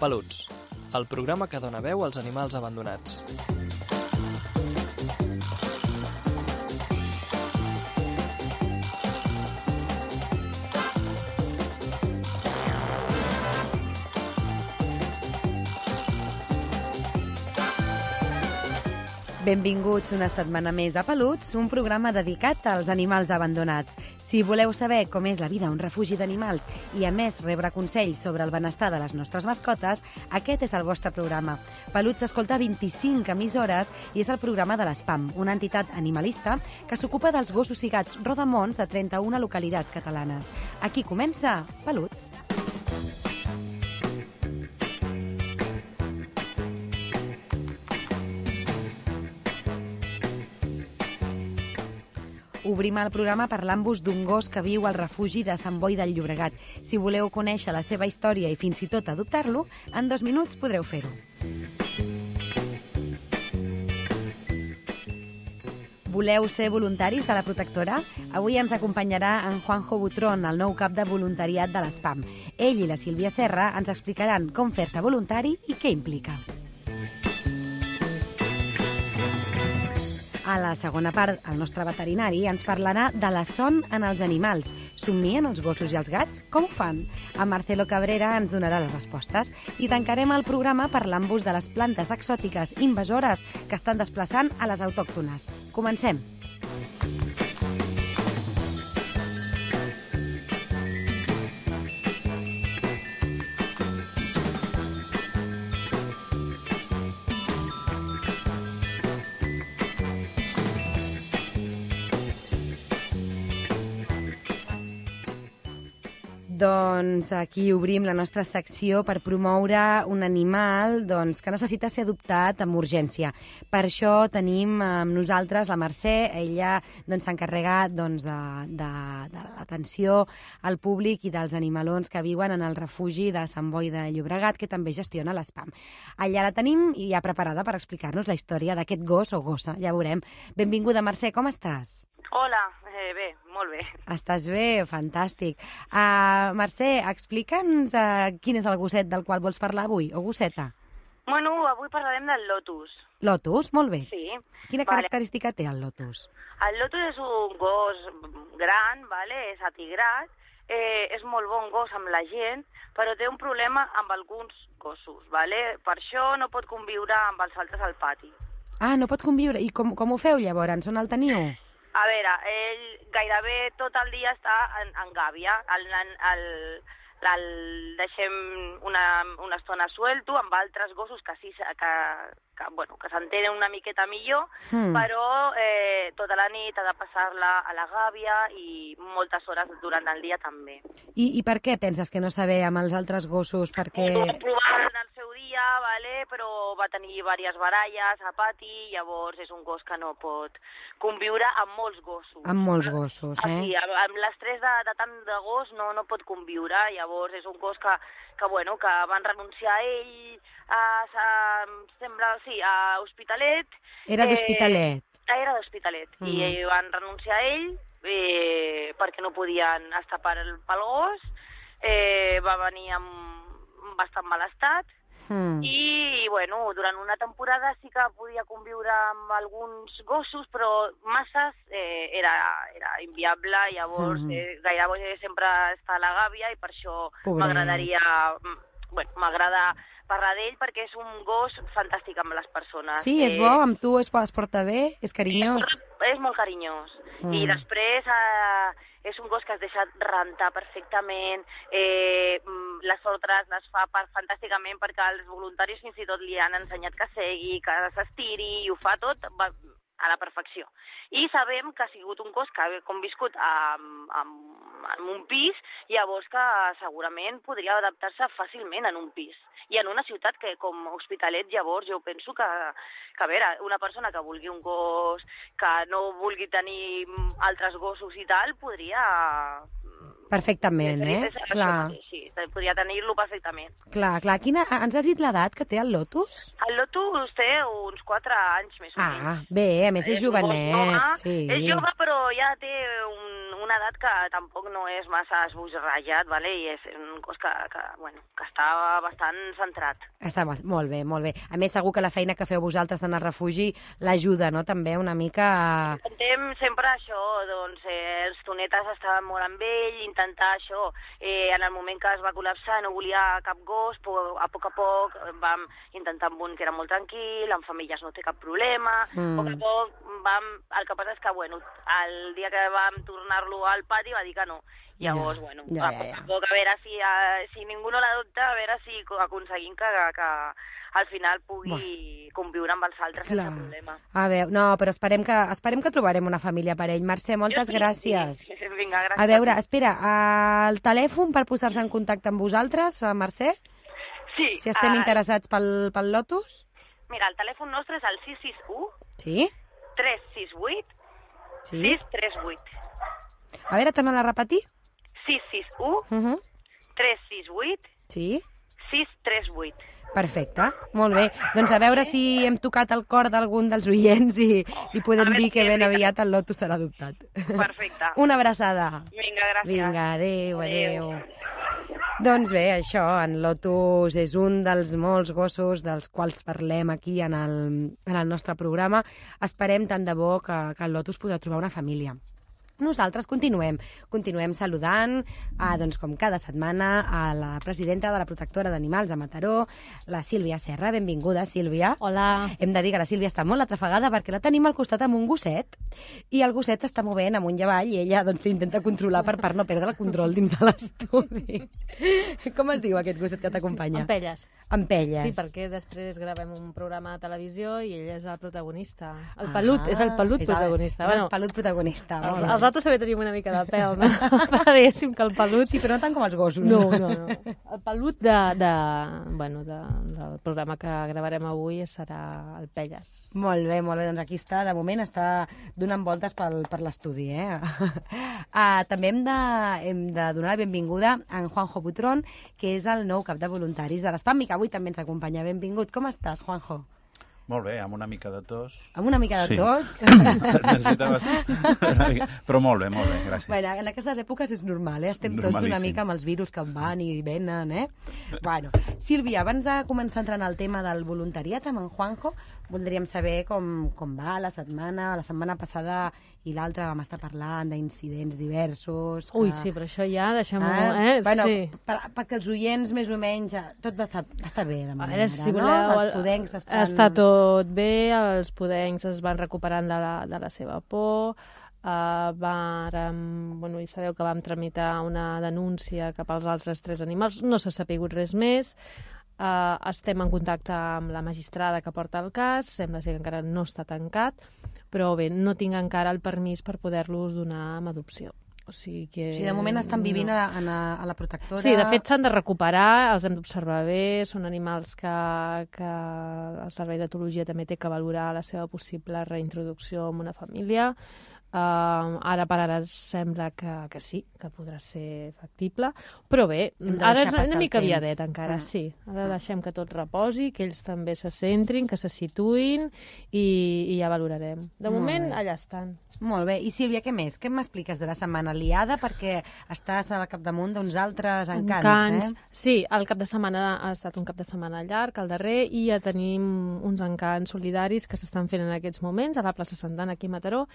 Peluts, el programa que dona veu als animals abandonats. Benvinguts una setmana més a Peluts, un programa dedicat als animals abandonats. Si voleu saber com és la vida a un refugi d'animals i, a més, rebre consells sobre el benestar de les nostres mascotes, aquest és el vostre programa. Peluts s'escolta 25 emissores i és el programa de l'ESPAM, una entitat animalista que s'ocupa dels gossos i gats rodamons de 31 localitats catalanes. Aquí comença Peluts. Obrim el programa parlant-vos d'un gos que viu al refugi de Sant Boi del Llobregat. Si voleu conèixer la seva història i fins i tot adoptar-lo, en 2 minuts podreu fer-ho. Voleu ser voluntaris de la protectora? Avui ens acompanyarà en Juanjo Butrón, el nou cap de voluntariat de l'ESPAM. Ell i la Sílvia Serra ens explicaran com fer-se voluntari i què implica. A la segona part, el nostre veterinari ens parlarà de la son en els animals. Somnien els gossos i els gats? Com ho fan? En Marcelo Cabrera ens donarà les respostes. I tancarem el programa parlant-vos de les plantes exòtiques invasores que estan desplaçant a les autòctones. Comencem! Doncs aquí obrim la nostra secció per promoure un animal que necessita ser adoptat amb urgència. Per això tenim amb nosaltres la Mercè. Ella s'encarrega de l'atenció al públic i dels animalons que viuen en el refugi de Sant Boi de Llobregat, que també gestiona l'ESPAM. Allà la tenim i ja preparada per explicar-nos la història d'aquest gos o gossa. Ja veurem. Benvinguda, Mercè, com estàs? Hola, bé, molt bé. Estàs bé? Fantàstic. Mercè, explica'ns quin és el gosset del qual vols parlar avui, o gosseta? Bueno, avui parlarem del Lotus. Lotus? Molt bé. Sí. Quina característica té el Lotus? El Lotus és un gos gran, és atigrat, és molt bon gos amb la gent, però té un problema amb alguns gossos, Per això no pot conviure amb els altres al pati. Ah, no pot conviure. I com ho feu llavors? On el teniu? A veure, ell gairebé tot el dia està en gàbia. El deixem una estona suelto amb altres gossos que s'entenen una miqueta millor, però tota la nit ha de passar-la a la gàbia i moltes hores durant el dia també. I per què penses que no saber amb els altres gossos? Perquè... Ho va provar en el seu dia, però va tenir diverses baralles a pati, llavors és un gos que no pot conviure amb molts gossos. Amb molts gossos, Sí, amb l'estrès de tant de gos no pot conviure, llavors és un gos que van renunciar a ell a Hospitalet. Era d'Hospitalet. Era d'Hospitalet, i van renunciar a ell perquè no podien estar pel gos, va venir en bastant mal estat, i durant una temporada sí que podia conviure amb alguns gossos, però masses era inviable, llavors gairebé sempre està a la gàbia i per això m'agrada parlar d'ell perquè és un gos fantàstic amb les persones. Sí, és bo, amb tu es porta bé, és carinyós. És molt carinyós. I després és un gos que es deixa rentar perfectament, les ordres les fa fantàsticament perquè els voluntaris fins i tot li han ensenyat que segui, que s'estiri, i ho fa tot a la perfecció. I sabem que ha sigut un gos que ha conviscut en un pis, llavors que segurament podria adaptar-se fàcilment en un pis. I en una ciutat que com Hospitalet, llavors jo penso que a veure, una persona que vulgui un gos, que no vulgui tenir altres gossos i tal, podria... Perfectament, Clar. Sí, podria tenir-lo perfectament. Clar. Ens has dit l'edat que té el Lotus? El Lotus té uns 4 anys més o menys. Bé, a més és jovenet. Sí. És jove, però ja té una edat que tampoc no és massa esbojarrellat, vale? I és un cos que està bastant centrat. Està molt bé, molt bé. A més, segur que la feina que feu vosaltres en el refugi l'ajuda, no?, també una mica a... Intentem sempre això, doncs, els tonetes estaven molt amb ell, intentar això, en el moment que es va col·lapsar no volia cap gos, però a poc vam intentar amb un que era molt tranquil, amb femelles no té cap problema, a poc el que passa és que, el dia que vam tornar-lo al pati va dir que no. Llavors, a poc a veure si ningú no l'adopta, a veure si aconseguim que al final pugui conviure amb els altres sense problema. A veure, no, però esperem que trobarem una família per ell. Mercè, moltes gràcies. Sí. Vinga, gràcies. A veure, espera, el telèfon per posar-se en contacte amb vosaltres, Mercè? Sí. Si estem interessats pel Lotus? Mira, el telèfon nostre és el 661 Sí? 368 Sí? 638. A veure, torna a repetir. 661 368 Sí? 638. Perfecte, molt bé. Doncs a veure si hem tocat el cor d'algun dels oients i podem dir que ben aviat el Lotus serà adoptat. Perfecte. Una abraçada. Vinga, gràcies. Vinga, adéu. Doncs bé, això, en Lotus és un dels molts gossos dels quals parlem aquí en el nostre programa. Esperem tant de bo que el Lotus podrà trobar una família. Nosaltres continuem saludant, doncs, com cada setmana, a la presidenta de la Protectora d'Animals de Mataró, la Sílvia Serra. Benvinguda, Sílvia. Hola. Hem de dir que la Sílvia està molt atrafegada perquè la tenim al costat amb un gosset i el gosset s'està movent amunt i avall i ella doncs l'intenta controlar per no perdre el control dins de l'estudi. Com es diu aquest gosset que t'acompanya? Ampelles. Ampelles. Sí, perquè després gravem un programa de televisió i ell és el protagonista. El pelut, és el pelut protagonista. És el pelut protagonista. Els altres també tenim una mica de pèl, no? Però diguéssim que el pelut... Sí, però no tant com els gossos. No. El pelut del programa que gravarem avui serà el Pelles. Molt bé. Doncs aquí està, de moment està donant voltes per l'estudi, També hem de donar la benvinguda a en Juanjo Butrón, que és el nou cap de voluntaris de l'Espam i que avui també ens acompanya. Benvingut. Com estàs, Juanjo? Molt bé, amb una mica de tos. Amb una mica de tos? Necessitaves una mica, però molt bé, gràcies. Bueno, en aquestes èpoques és normal, Estem tots una mica amb els virus que van i venen, Bueno, Sílvia, abans de començar a entrar en el tema del voluntariat amb en Juanjo, voldríem saber com va la setmana passada i l'altra vam estar parlant d'incidents diversos. Ui, sí, però això ja deixem-ho, Bueno, sí. perquè els oients, més o menys, tot va estar bé, de moment. A veure, si voleu, no? Els podencs estan... Està tot bé, els podencs es van recuperant de la seva por, i sabeu que vam tramitar una denúncia cap als altres 3 animals, no s'ha sapigut res més. Estem en contacte amb la magistrada que porta el cas, sembla ser que encara no està tancat, però bé, no tinc encara el permís per poder-los donar amb adopció. O sigui, de moment estan vivint a la protectora... Sí, de fet s'han de recuperar, els hem d'observar bé, són animals que el Servei d'Etologia també té que valorar la seva possible reintroducció en una família. Ara per ara sembla que sí, que podrà ser factible, però bé, ara és una mica aviadet encara, sí. Ara deixem que tot reposi, que ells també se centrin, que se situïn i ja valorarem. De moment, allà estan. Molt bé. I Sílvia, què més? Què m'expliques de la setmana liada? Perquè estàs al capdamunt d'uns altres encants, Sí, el cap de setmana ha estat un cap de setmana llarg, el darrer, i ja tenim uns encants solidaris que s'estan fent en aquests moments a la plaça Sant Dan, aquí a Mataró.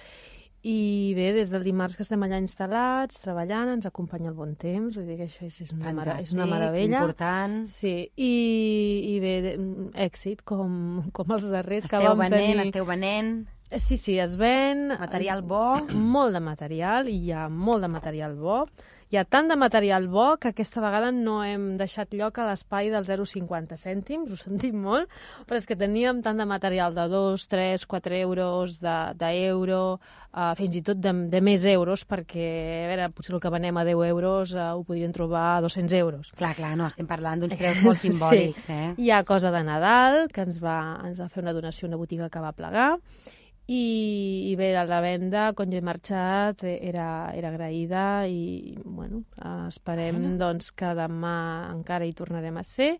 I bé, des del dimarts que estem allà instal·lats, treballant, ens acompanya el bon temps, vull dir que això és una meravella. Important. Sí, i bé, èxit, com els darrers que vam tenir. Esteu venent. Sí, es ven. Material bo. Molt de material, i hi ha molt de material bo. Hi ha tant de material bo que aquesta vegada no hem deixat lloc a l'espai dels 0,50 cèntims, ho sentim molt, però és que teníem tant de material de 2, 3, 4 euros, d'euro, fins i tot de més euros, perquè, a veure, potser el que venem a 10 euros ho podrien trobar a 200 euros. Clar, no, estem parlant d'uns preus molt simbòlics, Hi ha cosa de Nadal, que ens va fer una donació a una botiga que va plegar, i bé, la venda, quan jo he marxat, era agraïda i, bueno, esperem doncs, que demà encara hi tornarem a ser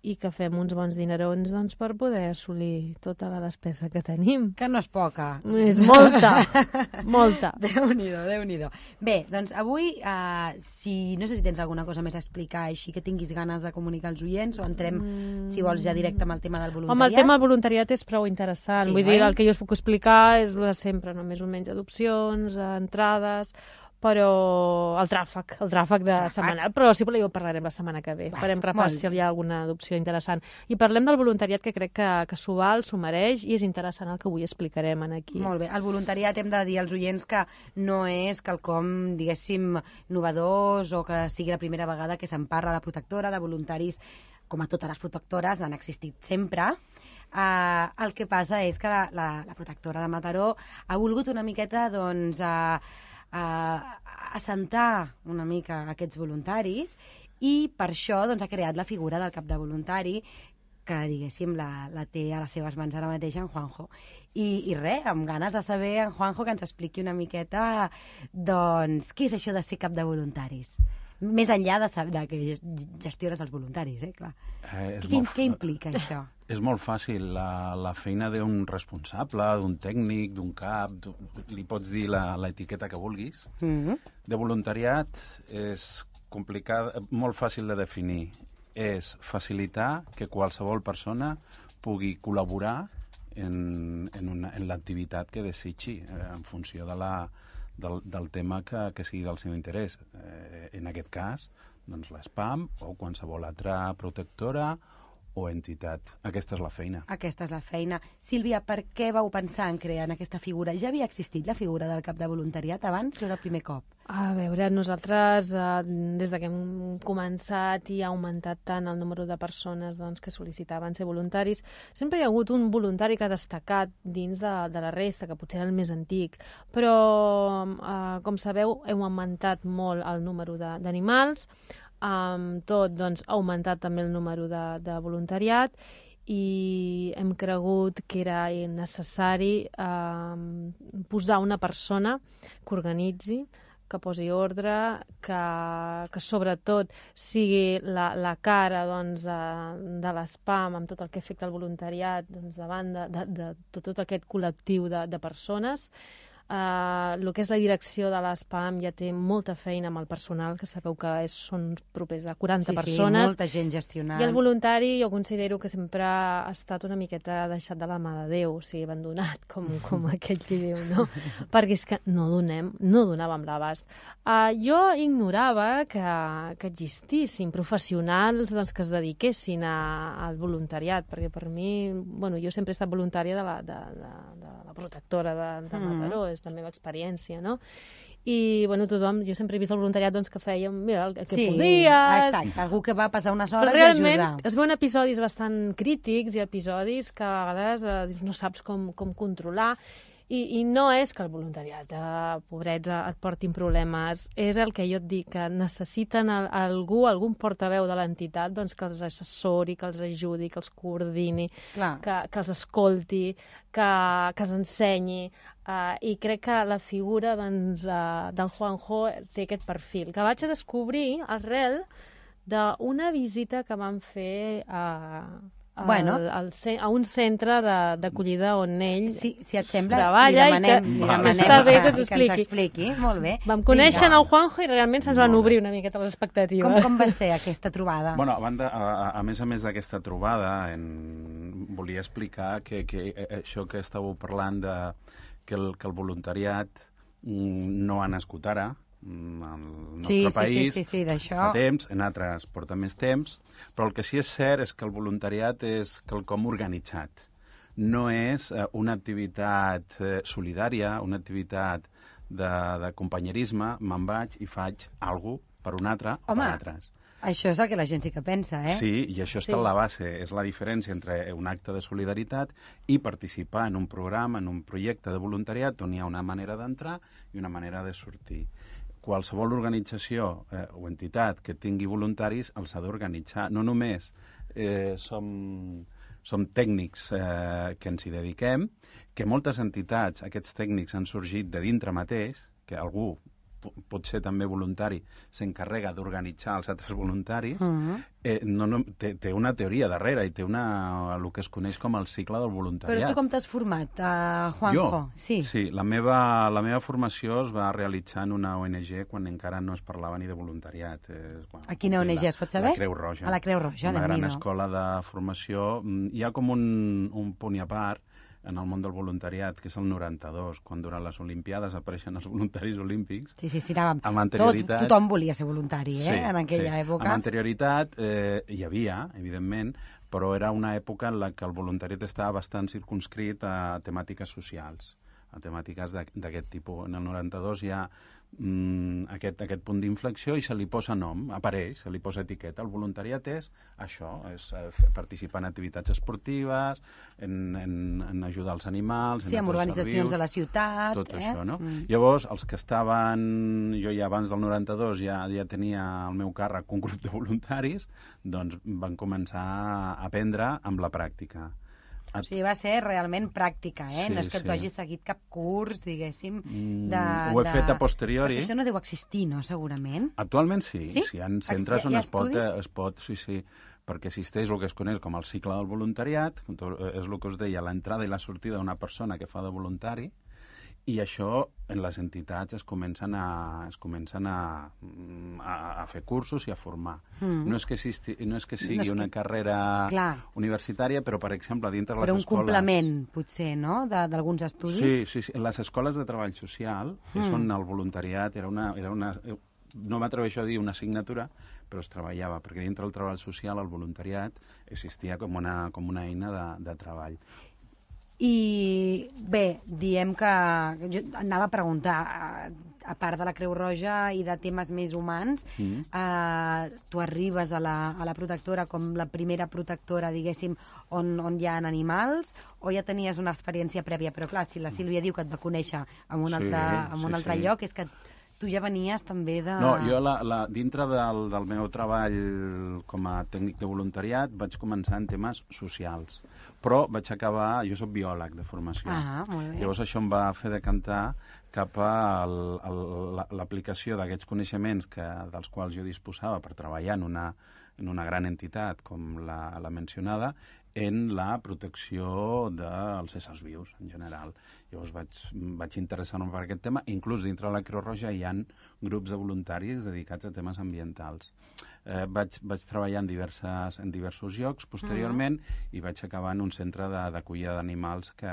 i que fem uns bons dinerons doncs, per poder assolir tota la despesa que tenim. Que no és poca. És molta, molta. Déu-n'hi-do, Déu-n'hi-do. Bé, doncs avui, no sé si tens alguna cosa més a explicar així que tinguis ganes de comunicar als oients o entrem, si vols, ja directe amb el tema del voluntariat. Home, el tema del voluntariat és prou interessant. Sí, Vull dir, el que jo us puc explicar és el de sempre, només un menys adopcions, entrades, però el tràfic de setmanal, però si voleu parlarem la setmana que ve. Farem repàs si hi ha alguna adopció interessant. I parlem del voluntariat, que crec que s'ho val, s'ho mereix, i és interessant el que avui explicarem aquí. Molt bé. El voluntariat hem de dir als oients que no és quelcom, diguéssim, novedós o que sigui la primera vegada que se'n parla. La protectora de voluntaris, com a totes les protectores, han existit sempre. El que passa és que la protectora de Mataró ha volgut una miqueta, doncs, assentar una mica aquests voluntaris i per això doncs, ha creat la figura del cap de voluntari que, diguéssim, la té a les seves mans ara mateix en Juanjo. I res, amb ganes de saber en Juanjo que ens expliqui una miqueta doncs, què és això de ser cap de voluntaris. Més enllà de que gestiones els voluntaris, clar. Què implica això? És molt fàcil. La feina d'un responsable, d'un tècnic, d'un cap, li pots dir l'etiqueta que vulguis. De voluntariat és complicat, molt fàcil de definir. És facilitar que qualsevol persona pugui col·laborar en l'activitat que desitgi, en funció del tema que sigui del seu interès. En aquest cas, doncs l'ESPAM o qualsevol altra protectora o entitat. Aquesta és la feina. Aquesta és la feina. Sílvia, per què vau pensar en crear aquesta figura? Ja havia existit la figura del cap de voluntariat abans o era el primer cop? A veure, nosaltres, des que hem començat i ha augmentat tant el número de persones doncs, que sol·licitaven ser voluntaris, sempre hi ha hagut un voluntari que ha destacat dins de la resta, que potser era el més antic, però, com sabeu, hem augmentat molt el número d'animals, tot doncs, ha augmentat també el número de voluntariat i hem cregut que era necessari posar una persona que organitzi, que posi ordre, que sobretot sigui la cara doncs, de l'ESPAM amb tot el que afecta el voluntariat doncs, davant de tot aquest col·lectiu de persones. El que és la direcció de l'ESPAM ja té molta feina amb el personal, que sabeu que són propers de 40 persones. Sí, molta gent gestionant. I el voluntari jo considero que sempre ha estat una miqueta deixat de la mà de Déu, o sigui, abandonat, com aquell qui diu, no? Perquè és que no donàvem l'abast. Jo ignorava que existissin professionals doncs, que es dediquessin al voluntariat, perquè per mi, bueno, jo sempre he estat voluntària de la protectora de Mataró, és la meva experiència, no? I, bueno, tothom, jo sempre he vist el voluntariat doncs, que fèiem, mira, el que podies... Exacte, algú que va passar unes hores i ajudar. Però realment es veuen episodis bastant crítics i episodis que a vegades no saps com controlar. I no és que el voluntariat, pobrets, et portin problemes. És el que jo et dic, que necessiten algun portaveu de l'entitat doncs, que els assessori, que els ajudi, que els coordini, que els escolti, que els ensenyi. I crec que la figura doncs, del Juanjo té aquest perfil, que vaig a descobrir arrel d'una visita que vam fer a un centre d'acollida on ell si et sembla, treballa li demanem està bé que ens expliqui. Molt bé. Vam conèixer el Juanjo i realment se'ns van obrir una miqueta les expectatives. Com va ser aquesta trobada? Bueno, a més d'aquesta trobada, volia explicar que això que estàveu parlant que el voluntariat no ha nascut ara, al nostre país fa temps, en altres porta més temps, però el que sí és cert és que el voluntariat és quelcom organitzat. No és una activitat solidària, una activitat de companyerisme, me'n vaig i faig alguna cosa per un altre o per altres. Això és el que la gent sí que pensa, Sí, i això està a la base. És la diferència entre un acte de solidaritat i participar en un programa, en un projecte de voluntariat on hi ha una manera d'entrar i una manera de sortir. Qualsevol organització o entitat que tingui voluntaris els ha d'organitzar. No només som tècnics que ens hi dediquem, que moltes entitats, aquests tècnics han sorgit de dintre mateix, que algú potser també voluntari, s'encarrega d'organitzar els altres voluntaris, té una teoria darrere i té el que es coneix com el cicle del voluntariat. Però tu com t'has format, Juanjo? Jo? Sí, la meva formació es va realitzar en una ONG quan encara no es parlava ni de voluntariat. A quina ONG, es pot saber? La Creu Roja. A la Creu Roja, una gran escola de formació. Hi ha com un punt i a part en el món del voluntariat, que és el 92, quan durant les Olimpiades apareixen els voluntaris olímpics. Sí, tothom volia ser voluntari, en aquella època. Amb anterioritat hi havia, evidentment, però era una època en la que el voluntariat estava bastant circumscrit a temàtiques socials, a temàtiques d'aquest tipus. En el 92 hi ha aquest punt d'inflexió i se li posa nom, apareix, se li posa etiqueta. El voluntariat és això, és participar en activitats esportives, en ajudar els animals, en organitzacions de la ciutat. Tot això, no? Llavors, els que estaven... Jo ja abans del 92 ja tenia al meu càrrec un grup de voluntaris, doncs van començar a aprendre amb la pràctica. O sigui, va ser realment pràctica, eh? No és que tu hagis seguit cap curs, diguéssim, Ho he fet a posteriori. Perquè això no deu existir, no, segurament? Actualment sí. Sí? Hi ha centres on es pot... Sí, perquè existeix el que es coneix com el cicle del voluntariat, és el que us deia, l'entrada i la sortida d'una persona que fa de voluntari, i això en les entitats es comencen a fer cursos i a formar. No és que sigui una carrera universitària, però, per exemple, dintre les escoles... Però un complement, potser, no?, d'alguns estudis? Sí. Les escoles de treball social, és on el voluntariat era una no m'atreveixo a dir una assignatura, però es treballava, perquè dintre del treball social el voluntariat existia com una eina de treball. I bé, diem que jo anava a preguntar, a part de la Creu Roja i de temes més humans, tu arribes a la protectora com la primera protectora, diguéssim, on hi ha animals, o ja tenies una experiència prèvia? Però clar, si la Sílvia diu que et va conèixer en un altre lloc, és que tu ja venies també de... No, jo dintre del meu treball com a tècnic de voluntariat vaig començar en temes socials, però vaig acabar... Jo soc biòleg de formació. Molt bé. Llavors això em va fer decantar cap a l'aplicació d'aquests coneixements dels quals jo disposava per treballar en una gran entitat com la mencionada, en la protecció dels éssers vius, en general. Llavors vaig interessar-me per aquest tema. Inclús dintre de la Creu Roja hi ha grups de voluntaris dedicats a temes ambientals. Vaig treballar en diversos llocs posteriorment i vaig acabar en un centre d'acollida d'animals que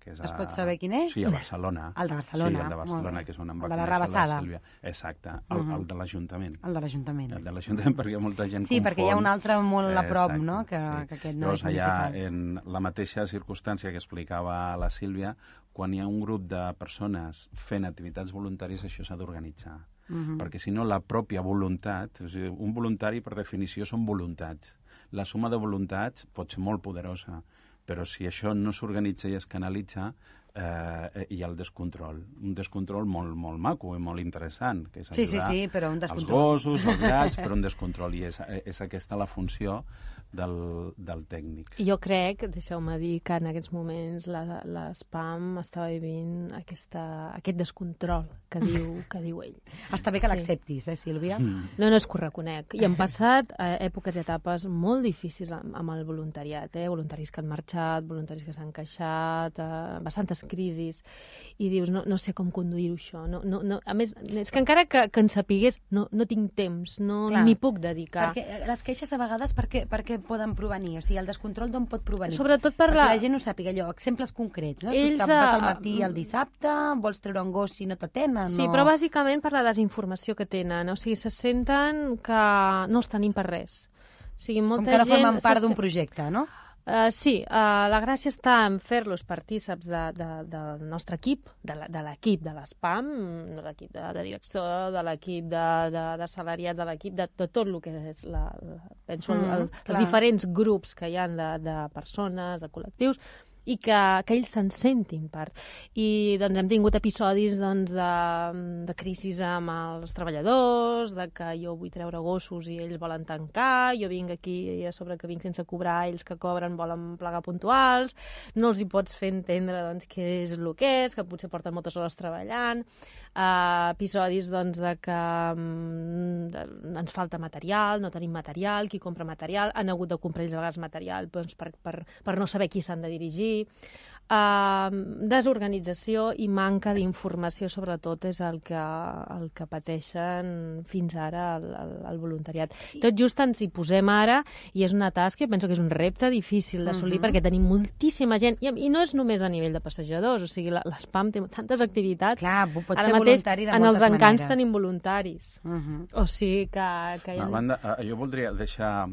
és Es pot saber quin és? Sí, a Barcelona. El de Barcelona. Sí, el de Barcelona, que és on em va conèixer la Rabassada. Sílvia. Exacte, el de l'Ajuntament. El de l'Ajuntament. El de l'Ajuntament, perquè molta gent confon. Sí, perquè hi ha un altre molt a prop, no?, que aquest no és municipal. Llavors, allà, en la mateixa circumstància que explicava la Sílvia, quan hi ha un grup de persones fent activitats voluntàries, això s'ha d'organitzar. Perquè, si no, la pròpia voluntat... O sigui, un voluntari, per definició, són voluntats. La suma de voluntats pot ser molt poderosa, però si això no s'organitza i es canalitza, hi ha el descontrol. Un descontrol molt maco i molt interessant, que és ajudar però un descontrol. els gossos, els gats, però un descontrol. I és aquesta la funció del tècnic. Jo crec, deixeu-me dir, que en aquests moments l'SPAM estava vivint aquest descontrol que diu ell. Està bé que l'acceptis, Sílvia? No, és que ho reconec. I han passat èpoques i etapes molt difícils amb el voluntariat, voluntaris que han marxat, voluntaris que s'han queixat, bastantes crisis, i dius, no sé com conduir-ho això. A més, és que encara que en sapigués, no tinc temps, no m'hi puc dedicar. Perquè les queixes a vegades perquè poden provenir, o sigui, el descontrol d'on pot provenir? Sobretot perquè la gent ho sàpiga, allò, exemples concrets, no? Tu vas al matí al dissabte, vols treure un gos si no t'atenen, Sí, però bàsicament per la desinformació que tenen, o sigui, se senten que no els tenim per res. O sigui, molta gent... Com que no formen part d'un projecte, no? Sí, la gràcia està en fer-los partíceps del nostre equip, de l'equip de l'SPAM, de l'equip de direcció, de l'equip de salariats, de l'equip de tot el que és, penso, els diferents grups que hi ha de persones, de col·lectius, i que ells se'n sentin part. I doncs hem tingut episodis de crisis amb els treballadors, de que jo vull treure gossos i ells volen tancar, jo vinc aquí i a sobre que vinc sense cobrar, ells que cobren volen plegar puntuals, no els hi pots fer entendre què és el que és, que potser porten moltes hores treballant. episodis doncs, de que ens falta material, no tenim material, qui compra material, han hagut de comprar ells a vegades material doncs, per no saber qui s'han de dirigir. Desorganització i manca d'informació, sobretot, és el que pateixen fins ara el voluntariat. Tot just ens hi posem ara i és una tasca, penso que és un repte difícil d'assolir perquè tenim moltíssima gent i no és només a nivell de passejadors, o sigui, l'SPAM té tantes activitats. Clar, pot ara ser mateix, voluntari de en moltes els encants maneres. tenim voluntaris. O sigui que A banda, jo voldria deixar...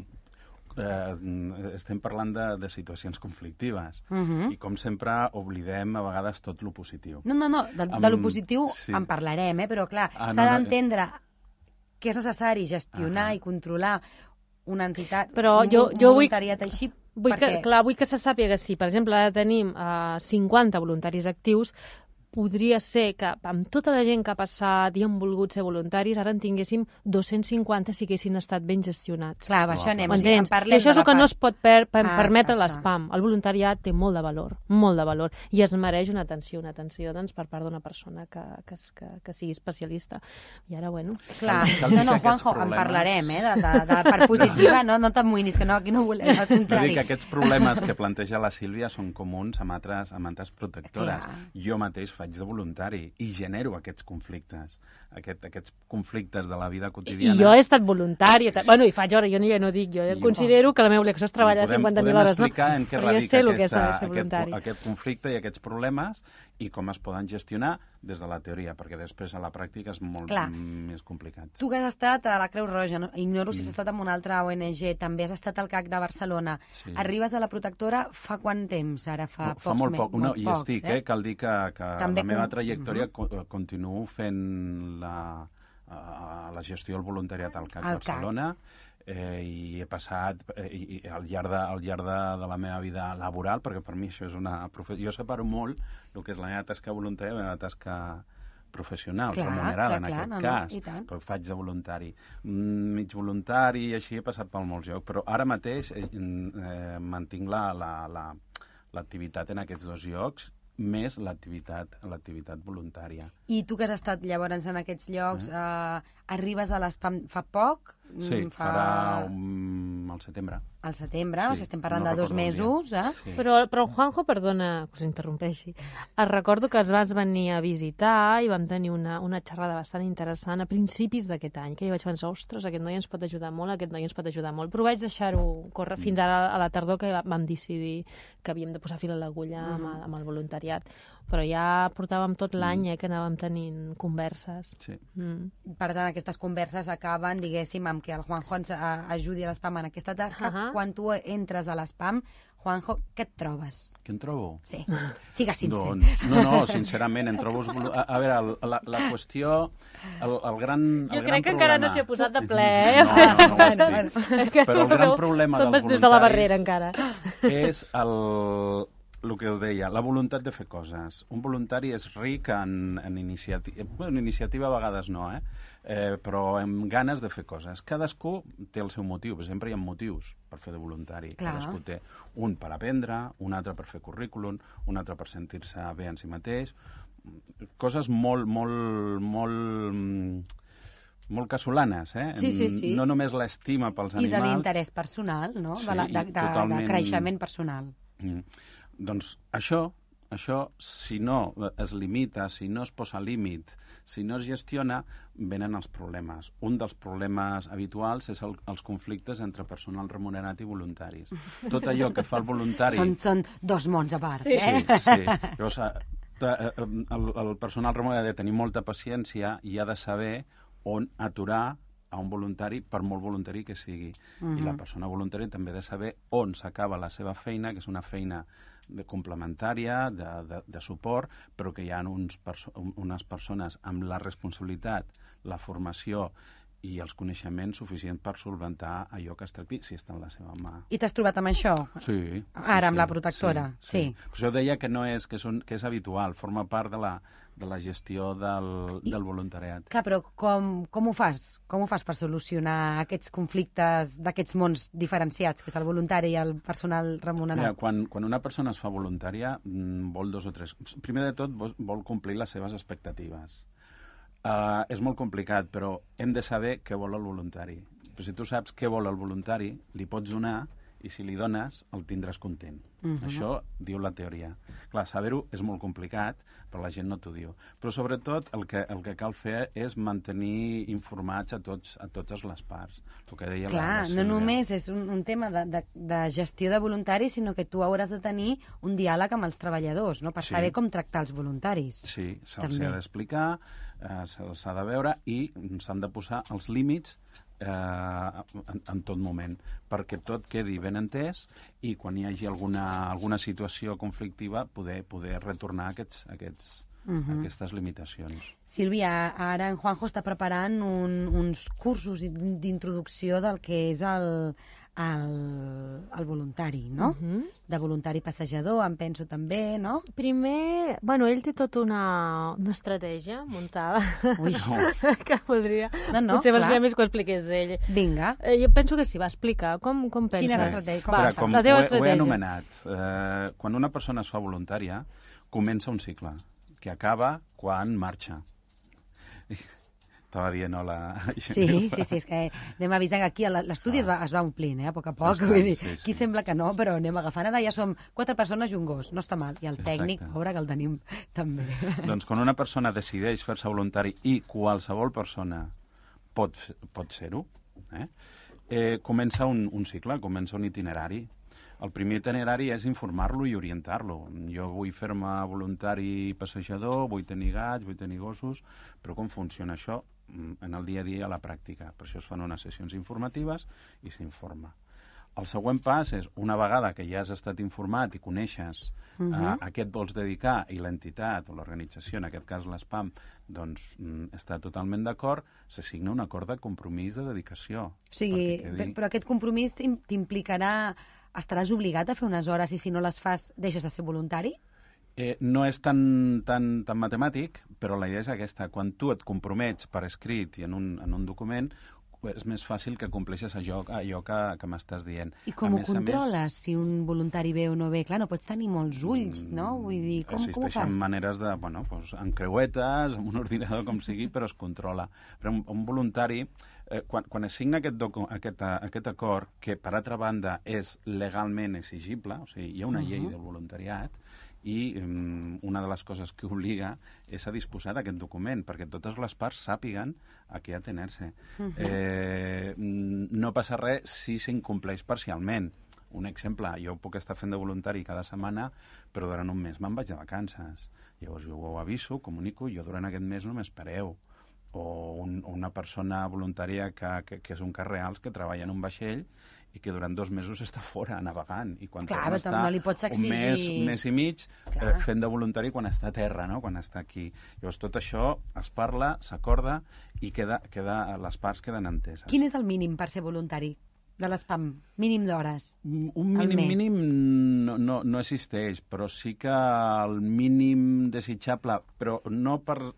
estem parlant de situacions conflictives i com sempre oblidem a vegades tot lo positiu. No, de lo positiu en parlarem, però clar, s'ha d'entendre que és necessari gestionar i controlar una entitat, però un voluntariat així. Vull que se sàpiga que si, per exemple, ara tenim 50 voluntaris actius, podria ser que amb tota la gent que ha passat i han volgut ser voluntaris, ara en tinguéssim 250 si haguessin estat ben gestionats. Clar, això anem. I això és el que no es pot permetre l'SPAM. El voluntariat té molt de valor, i es mereix una atenció doncs, per part d'una persona que sigui especialista. I ara, bueno... Clar, no, Juanjo, en parlarem, de la part positiva, no t'amoïnis, que no, aquí no volem, al contrari. Vull dir que aquests problemes que planteja la Sílvia són comuns amb altres protectores. Jo mateix faig de voluntari i genero aquests conflictes, aquests conflictes de la vida quotidiana. I jo he estat voluntari, bueno, i faig hora, jo no dic, jo considero que la meva obligació és treballar 50.000 hores, no? Podem explicar en què radica aquest conflicte i aquests problemes i com es poden gestionar des de la teoria, perquè després a la pràctica és molt més complicat. Tu que has estat a la Creu Roja, no? Ignoro si has estat amb una altra ONG, també has estat al CAC de Barcelona. Sí. Arribes a la protectora fa quant temps? Ara fa pocs mesos. Fa molt poc, hi estic, cal dir que la meva trajectòria continuo fent la gestió del voluntariat al CAC Barcelona i he passat al llarg de la meva vida laboral, perquè per mi això és una professió. Jo separo molt el que és la meva tasca voluntària i la meva tasca professional, remunerada en aquest cas, però faig de voluntari. Mig voluntari i així he passat per molts llocs, però ara mateix mantinc l'activitat en aquests dos llocs, més l'activitat voluntària. I tu que has estat llavors en aquests llocs, arribes a l'SPAM fa poc? Sí, farà al setembre. Al setembre, o sigui, estem parlant de 2 mesos. Sí. Però Juanjo, perdona que us interrompeixi, recordo que ens vas venir a visitar i vam tenir una xerrada bastant interessant a principis d'aquest any, que jo vaig pensar, ostres, aquest noi ens pot ajudar molt, però vaig deixar-ho córrer fins ara a la tardor, que vam decidir que havíem de posar fil a l'agulla amb el voluntariat. Però ja portàvem tot l'any que anàvem tenint converses. Sí. Per tant, aquestes converses acaben, diguéssim, amb que el Juanjo ens ajudi a l'SPAM en aquesta tasca. Quan tu entres a l'SPAM, Juanjo, què et trobes? Què em trobo? Sí, sigues sincer. Doncs, no, sincerament, em trobo... A veure, la qüestió, el gran problema... Jo crec que encara no s'hi ha posat de ple, No, però el gran problema dels voluntaris... Des de la barrera, encara. És el que us deia, la voluntat de fer coses. Un voluntari és ric en iniciativa. Bueno, iniciativa a vegades no, però amb ganes de fer coses. Cadascú té el seu motiu, sempre hi ha motius per fer de voluntari. Clar. Cadascú té un per aprendre, un altre per fer currículum, un altre per sentir-se bé en si mateix. Coses molt casolanes, Sí. No només l'estima pels animals... I de l'interès personal, no? Sí, de creixement personal. Doncs això, si no es limita, si no es posa límit, si no es gestiona, venen els problemes. Un dels problemes habituals és els conflictes entre personal remunerat i voluntaris. Tot allò que fa el voluntari... Són 2 mons a part, Sí. Llavors, el personal remunerat ha de tenir molta paciència i ha de saber on aturar a un voluntari, per molt voluntari que sigui. I la persona voluntària també ha de saber on s'acaba la seva feina, que és una feina complementària, de suport, però que hi ha unes persones amb la responsabilitat, la formació i els coneixements suficients per solventar allò que es tracti, si està en la seva mà. I t'has trobat amb això? Sí. Ara, amb la protectora? Sí. Per això deia que no és, que és habitual, forma part de la gestió del voluntariat. Clar, però com ho fas? Com ho fas per solucionar aquests conflictes d'aquests mons diferenciats, que és el voluntari i el personal remunerat? Mira, quan una persona es fa voluntària, vol 2 o 3... Primer de tot, vol complir les seves expectatives. És molt complicat, però hem de saber què vol el voluntari. Però si tu saps què vol el voluntari, li pots donar i si li dones, el tindràs content. Això diu la teoria. Clar, saber-ho és molt complicat, però la gent no t'ho diu. Però sobretot el que cal fer és mantenir informats a totes les parts. El que deia Clar, no només és un tema de gestió de voluntaris, sinó que tu hauràs de tenir un diàleg amb els treballadors, no? Per saber com tractar els voluntaris. Sí, se'ls ha d'explicar, se'ls ha de veure i s'han de posar els límits en tot moment, perquè tot quedi ben entès i quan hi hagi alguna situació conflictiva poder retornar aquestes limitacions. Sílvia, ara en Juanjo està preparant uns cursos d'introducció del que és el voluntari, no? De voluntari passejador, em penso també, no? Primer, ell té tota una estratègia muntada. Ui, que voldria... No, potser valdria més que ho expliqués ell. Vinga. Jo penso que sí, va explicar. Com penses? Quina és l'estratègia? La teva estratègia. Ho he anomenat. Quan una persona es fa voluntària, comença un cicle, que acaba quan marxa. Estava dient hola. Sí, és que anem avisant que aquí l'estudi es va omplint, a poc a poc. Vull dir, aquí sembla que no, però anem agafant. Ara ja som 4 persones i un gos, no està mal. I el tècnic, pobre, que el tenim també. Doncs quan una persona decideix fer-se voluntari i qualsevol persona pot ser-ho, comença un cicle, comença un itinerari. El primer itinerari és informar-lo i orientar-lo. Jo vull fer-me voluntari passejador, vull tenir gats, vull tenir gossos, però com funciona això en el dia a dia a la pràctica? Per això es fan unes sessions informatives i s'informa. El següent pas és, una vegada que ja has estat informat i coneixes a què et vols dedicar i l'entitat o l'organització, en aquest cas l'ESPAM, doncs està totalment d'acord, se signa un acord de compromís de dedicació. O sigui, però aquest compromís t'implicarà... Estaràs obligat a fer unes hores i si no les fas deixes de ser voluntari? No és tan matemàtic, però la idea és aquesta. Quan tu et compromets per escrit i en un document, és més fàcil que compleixes allò que m'estàs dient. I com ho controles, si un voluntari ve o no ve? Clar, no pots tenir molts ulls, no? Vull dir, com ho fas? Existeixen maneres de, amb creuetes, amb un ordinador, com sigui, però es controla. Però un voluntari, quan es signa aquest acord, que per altra banda és legalment exigible, o sigui, hi ha una llei del voluntariat, i una de les coses que obliga és a disposar d'aquest document, perquè totes les parts sàpiguen a què atener-se. No passa res si s'incompleix parcialment. Un exemple, jo puc estar fent de voluntari cada setmana, però durant un mes me'n vaig de vacances. Llavors jo ho aviso, comunico, jo durant aquest mes no m'espereu. O una persona voluntària que és un cas real, que treballa en un vaixell i que durant 2 mesos està fora navegant. I quan torna està no li pots exigir... un mes i mig fent de voluntari quan està a terra, no? Quan està aquí. Llavors tot això es parla, s'acorda i les parts queden enteses. Quin és el mínim per ser voluntari de l'ESPAM? Mínim d'hores? Un mínim no existeix, però sí que el mínim desitjable, però no pel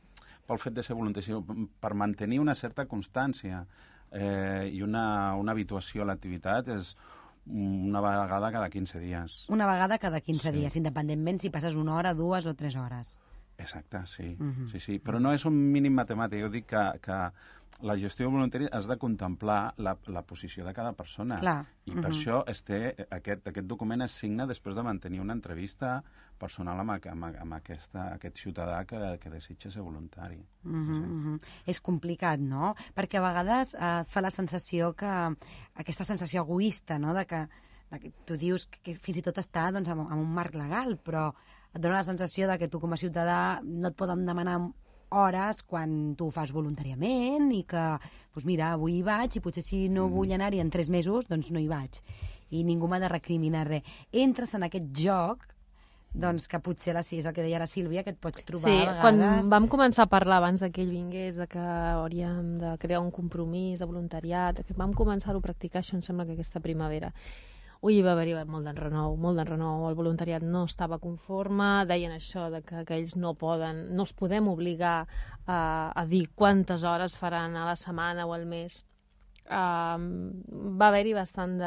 fet de ser voluntari, sinó per mantenir una certa constància i una habituació a l'activitat és una vegada cada 15 dies. Una vegada cada 15 dies, independentment si passes 1 hora, 2 o 3 hores. Exacte, sí. Sí. Però no és un mínim matemàtic. Jo dic que la gestió voluntària has de contemplar la posició de cada persona. Clar. I per això aquest document es signa després de mantenir una entrevista personal amb aquest ciutadà que desitja ser voluntari. És complicat, no? Perquè a vegades fa la sensació que... Aquesta sensació egoista, no?, de que tu dius que fins i tot està en un marc legal, però et dona la sensació de que tu com a ciutadà no et poden demanar hores quan tu ho fas voluntàriament i que, doncs mira, avui hi vaig i potser si no vull anar-hi en 3 mesos, doncs no hi vaig. I ningú m'ha de recriminar res. Entres en aquest joc, doncs que potser és el que deia la Sílvia, que et pots trobar a vegades... Quan vam començar a parlar abans que ell vingués, de que hauríem de crear un compromís de voluntariat, que vam començar-ho a practicar, això em sembla que aquesta primavera. Va haver-hi molt d'enrenou, el voluntariat no estava conforme, deien això, de que ells no els podem obligar a dir quantes hores faran a la setmana o al mes. Va haver-hi bastant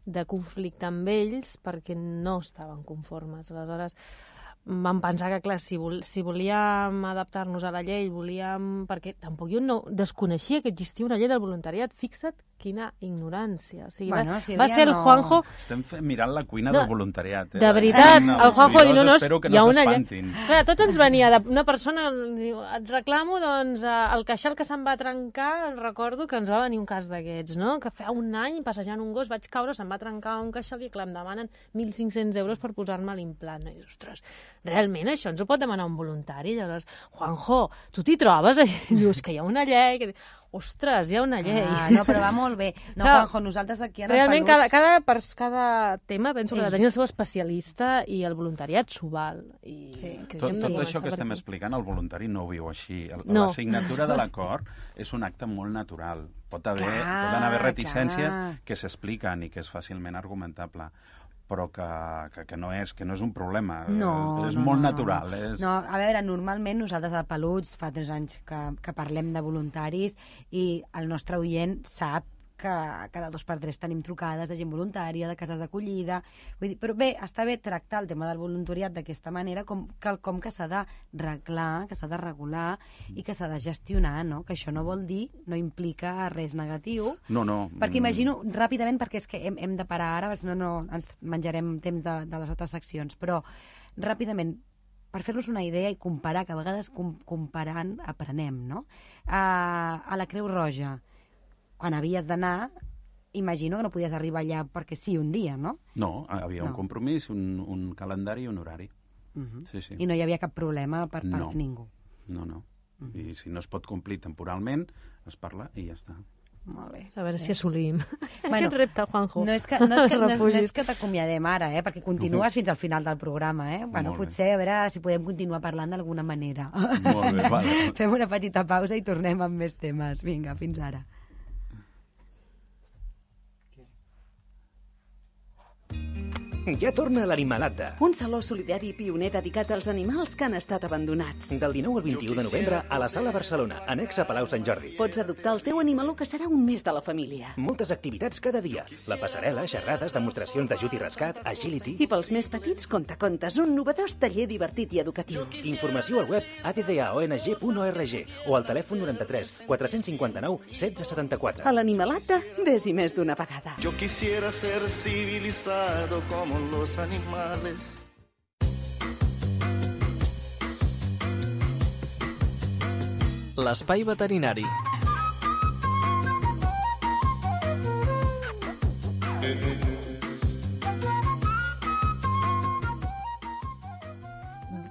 de conflicte amb ells perquè no estaven conformes. Aleshores, vam pensar que, clar, si volíem adaptar-nos a la llei, perquè tampoc jo no desconeixia que existia una llei del voluntariat. Fixa't quina ignorància. O sigui, va ser el Juanjo... Estem mirant la cuina del voluntariat. De veritat, el Juanjo diu, no, espero que no s'espantin. Clar, tot ens venia d'una persona, diu, et reclamo, doncs, el queixal que se'n va trencar, recordo que ens va venir un cas d'aquests, no? Que fa un any, passejant un gos, vaig caure, se'm va trencar un queixal i, clar, em demanen 1.500 euros per posar-me l'implant. I dius, ostres, realment això ens ho pot demanar un voluntari? Llavors, Juanjo, tu t'hi trobes? I dius que hi ha una llei... Ostres, hi ha una llei. No, però va molt bé. No, clar, Juanjo, nosaltres aquí en realment cada tema penso que ha de tenir el seu especialista i el voluntariat s'ho val. Tot això que estem explicant, el voluntari no ho viu així. La signatura de l'acord és un acte molt natural. Poden haver reticències que s'expliquen i que és fàcilment argumentable, però que no és un problema. És molt natural. No, a veure, normalment nosaltres a Peluts fa 3 anys que parlem de voluntaris i el nostre oient sap que cada 2 per 3 tenim trucades de gent voluntària, de cases d'acollida... Però bé, està bé tractar el tema del voluntariat d'aquesta manera com que s'ha d'arreglar, que s'ha de regular i que s'ha de gestionar, no? Que això no vol dir, no implica res negatiu. No. Perquè imagino, ràpidament, perquè és que hem de parar ara, perquè si no ens menjarem temps de les altres seccions, però ràpidament, per fer-nos una idea i comparar, que a vegades comparant aprenem, no? A la Creu Roja, quan havies d'anar, imagino que no podies arribar allà perquè sí un dia, no? No, havia un compromís, un calendari i un horari. Sí. I no hi havia cap problema per part de ningú. No. I si no es pot complir temporalment, es parla i ja està. Molt bé. A veure si assolim aquest repte, Juanjo. No és que t'acomiadem ara, perquè continues fins al final del programa, potser a veure si podem continuar parlant d'alguna manera. Molt bé, vale. Fem una petita pausa i tornem amb més temes. Vinga, fins ara. Ja torna l'Animalata. Un saló solidari pioner dedicat als animals que han estat abandonats. Del 19 al 21 de novembre a la Sala Barcelona, annex a Palau Sant Jordi. Pots adoptar el teu animaló que serà un mes de la família. Moltes activitats cada dia. La passarel·la, xerrades, demostracions d'ajut i rescat, agility... I pels més petits, contacontes, un novedós taller divertit i educatiu. Informació al web addaong.org o al telèfon 93 459 1674. A l'Animalata, ves-hi més d'una vegada. Yo quisiera ser civilizado como los animales. L'espai veterinari.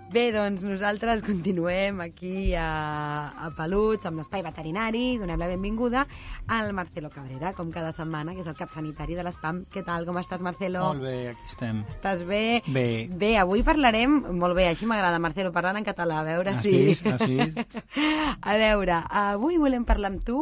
Bé, doncs nosaltres continuem aquí a Peluts, amb l'Espai Veterinari. Donem la benvinguda al Marcelo Cabrera, com cada setmana, que és el cap sanitari de l'ESPAM. Què tal, com estàs, Marcelo? Molt bé, aquí estem. Estàs bé? Bé. Bé, avui parlarem... Molt bé, així m'agrada, Marcelo, parlant en català, a veure si... Has vist? A veure, avui volem parlar amb tu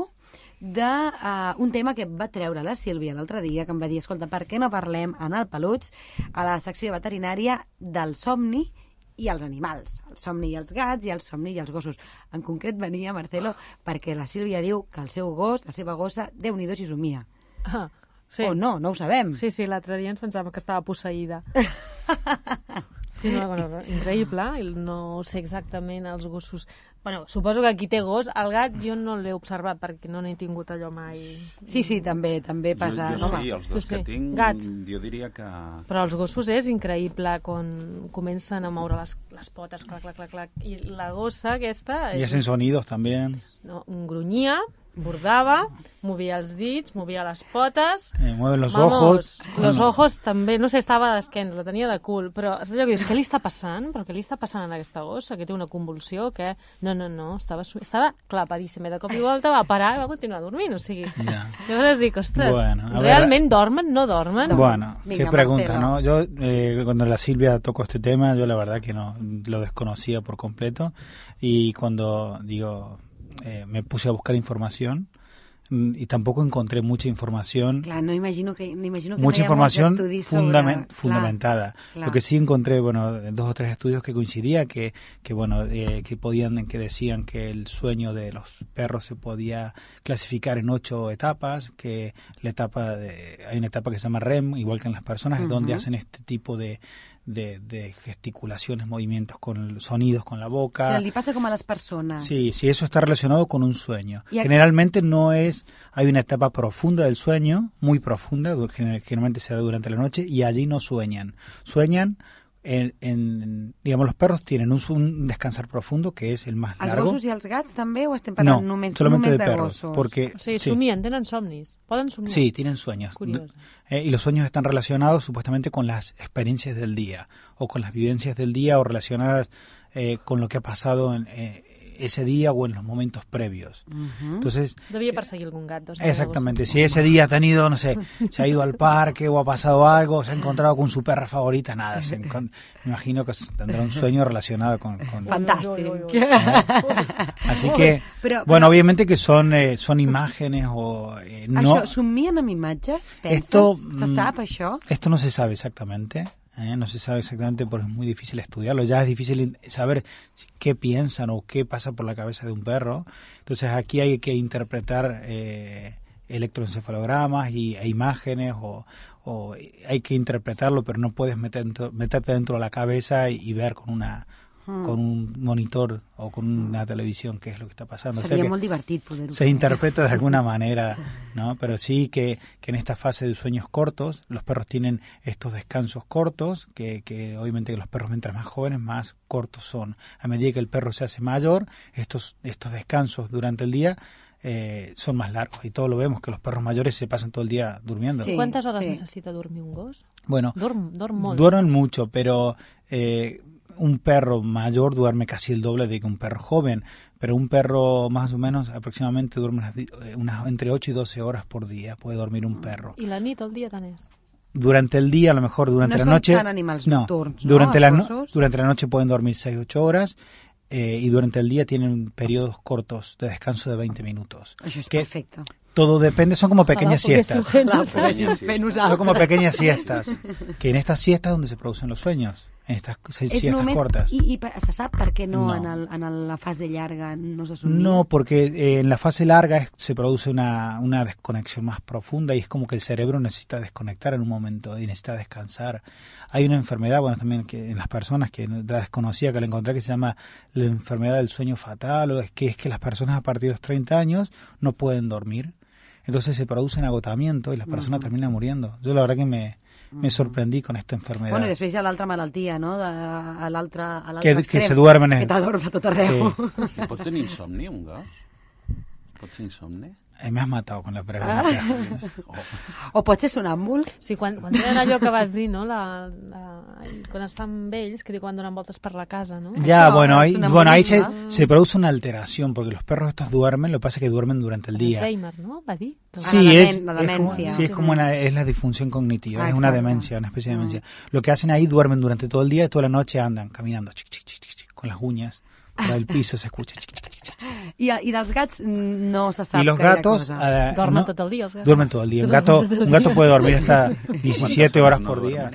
d'un tema que va treure la Sílvia l'altre dia, que em va dir, escolta, per què no parlem en el Peluts, a la secció veterinària, del somni i els animals, el somni i els gats i el somni i els gossos. En concret venia, Marcelo, perquè la Sílvia diu que el seu gos, la seva gossa, Déu-n'hi-do si somia. Sí. O no ho sabem. Sí, l'altre dia ens pensàvem que estava posseïda. Sí, bueno, increïble, no sé exactament els gossos... Bueno, suposo que qui té gos, el gat jo no l'he observat perquè no n'he tingut allò mai. Sí, també passa. Jo sí, els dos que tinc, gats. Jo diria que... Però els gossos és increïble quan comencen a moure les potes, clac, clac, clac, clac, i la gossa aquesta... Y hacen sonidos también. No, grunyia, bordava, movia els dits, movia les potes... Mueve los ojos. Los ojos també, no sé, estava d'esquena, la tenia de cul, però allò que dius, què li està passant? Però què li està passant a aquesta gossa? Que té una convulsió? Que... No, estava clapadíssima. De cop i volta va parar i va continuar dormint, o sigui... Ya. Llavors dic, ostres, bueno, ¿realment dormen? ¿No dormen? Bueno, Venga, qué pregunta, Marcelo. ¿no? Yo, cuando la Silvia tocó este tema, yo la verdad que no lo desconocía por completo, y cuando, me puse a buscar información, y tampoco encontré mucha información. Claro, no imagino que mucha información fundamentada. Claro. Lo que sí encontré, 2 o 3 estudios que coincidía que decían que el sueño de los perros se podía clasificar en 8 etapas, que hay una etapa que se llama REM, igual que en las personas, es donde hacen este tipo de de gesticulaciones, movimientos, con sonidos con la boca. O sea, li pasa como a las personas. Sí, eso está relacionado con un sueño. Generalmente hay una etapa profunda del sueño, muy profunda, generalmente se da durante la noche, y allí no sueñan. Sueñan digamos, los perros tienen un descansar profundo, que es el más largo. Els gossos i els gats també, o estem parlant només solamente de perros, gossos? porque somien, tenen somnis, poden somiar. Sí, tienen sueños. Y los sueños están relacionados supuestamente con las experiencias del día, o con las vivencias del día, o relacionadas con lo que ha pasado en ese día o en los momentos previos. Entonces, debía perseguir algún gato. Exactamente. Si ese día ha tenido, no sé, se ha ido al parque o ha pasado algo, se ha encontrado con su perra favorita, nada. Me imagino que tendrá un sueño relacionado con... Fantástico. Así que, bueno, obviamente que son imágenes o... no. Això, somien amb imatges? Penses? Se sap, això? Esto no se sabe exactamente. No se sabe exactamente porque es muy difícil estudiarlo. Ya es difícil saber qué piensan o qué pasa por la cabeza de un perro. Entonces aquí hay que interpretar electroencefalogramas e imágenes o hay que interpretarlo, pero no puedes meterte dentro de la cabeza y ver con un monitor o con una televisión qué es lo que está pasando. Sería muy divertido poder se interpreta de alguna manera, ¿no? Pero sí que en esta fase de sueños cortos, los perros tienen estos descansos cortos, que obviamente que los perros mientras más jóvenes, más cortos son. A medida que el perro se hace mayor, estos descansos durante el día son más largos, y todos lo vemos, que los perros mayores se pasan todo el día durmiendo. Sí, ¿cuántas horas necesita dormir un gos? Bueno, duermen mucho, pero... un perro mayor duerme casi el doble de que un perro joven, pero un perro más o menos aproximadamente duerme entre 8 y 12 horas por día, puede dormir un perro. ¿Y la nit, el día tant és? Durante el día, a lo mejor durante la noche... No son tan animals nocturns, ¿no? Durante la noche pueden dormir 6-8 horas y durante el día tienen periodos cortos de descanso de 20 minutos. Això és perfecte. Todo depende, son como pequeñas siestas. Son como pequeñas siestas, que en estas siestas donde se producen los sueños. En estas siestas cortas. I se sap per què no. En la fase llarga no se somia? No, porque en la fase larga se produce una desconexión más profunda y es como que el cerebro necesita desconectar en un momento y necesita descansar. Hay una enfermedad, bueno, también que en las personas que la desconocía, que la encontré, que se llama la enfermedad del sueño fatal, o es que las personas a partir de los 30 años no pueden dormir. Entonces se produce un agotamiento y la persona termina muriendo. Yo la verdad que me sorprendí con esta enfermedad. Bueno, i després hi ha l'altra malaltia, no? A l'altre que extrem. Se duermen... Que t'adorms a tot arreu. Sí. Pot tenir insomni, un gos? Pot ser insomni? Me has matado con la pregunta. O pot ser sonàmbul. Sí, quan tenen allò que vas dir, no? Quan es fan vells, que diu quan donen voltes per la casa, ¿no? Ya, bueno, ahí se produce una alteración, porque los perros estos duermen, lo que pasa es que duermen durante el día. Alzheimer, ¿no? Va dir. Sí, la demencia. Es como es la disfunción cognitiva, es una demencia, una especie de demencia. Lo que hacen ahí, duermen durante todo el día y toda la noche andan caminando con las uñas. Por el piso se escucha. I dels gats no se sap. Y los gatos duermen todo el día. Duermen todo el día. Un gato puede dormir hasta 17 horas por día.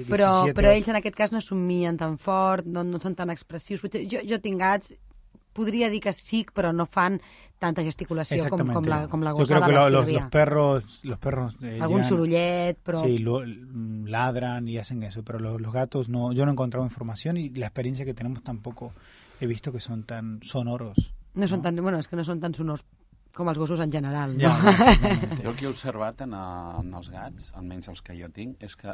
Però ells en aquest cas no somien tan fort, no són tan expressius. Jo tinc gats, podria dir que sí, però no fan tanta gesticulació com la gossa de la Sílvia. Los perros algún sorollet, però... Sí, ladran y hacen eso, pero los gatos no. Yo no he encontrado información y la experiencia que tenemos tampoco he visto que son tan sonoros. No són tan, bueno, és que no són tan sonors com els gossos en general. Ja, no? Jo el que he observat en els gats, almenys els que jo tinc, és que